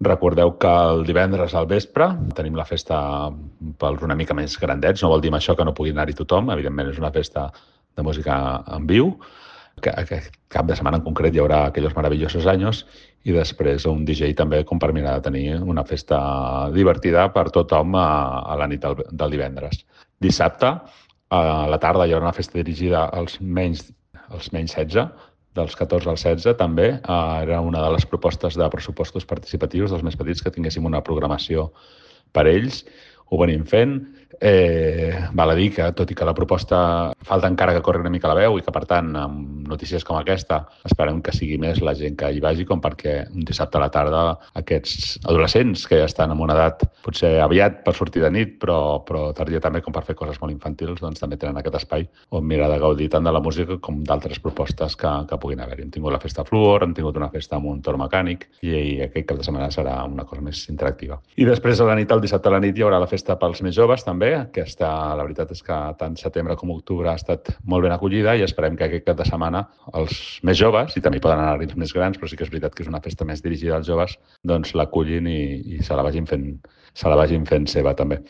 Recordeu que el divendres al vespre tenim la festa pels una mica més grandets. No vol dir amb això que no pugui anar-hi tothom. Evidentment, és una festa de música en viu. Aquest cap de setmana en concret hi haurà Aquellos Maravillosos Años i després un DJ també com per mirar de tenir una festa divertida per tothom a la nit del divendres. Dissabte, a la tarda, hi haurà una festa dirigida als menys 16, dels 14 als 16 també. Era una de les propostes de pressupostos participatius dels més petits, que tinguéssim una programació per ells. Ho venim fent. Val a dir que, tot i que la proposta falta encara que corri una mica la veu i que, per tant, amb notícies com aquesta, esperem que sigui més la gent que hi vagi, com perquè un dissabte a la tarda aquests adolescents que ja estan en una edat potser aviat per sortir de nit, però tardia també com per fer coses molt infantils, doncs també tenen aquest espai on mirar de gaudir tant de la música com d'altres propostes que puguin haver-hi. Hem tingut la festa Fluor, hem tingut una festa amb un tor mecànic i aquest cap de setmana serà una cosa més interactiva. I després a la nit, el dissabte a la nit, hi haurà la festa pels més joves també. La veritat és que tant setembre com octubre ha estat molt ben acollida i esperem que aquest cap de setmana els més joves, i també hi poden anar els més grans, però sí que és veritat que és una festa més dirigida als joves, doncs l'acullin i se la vagin fent seva també.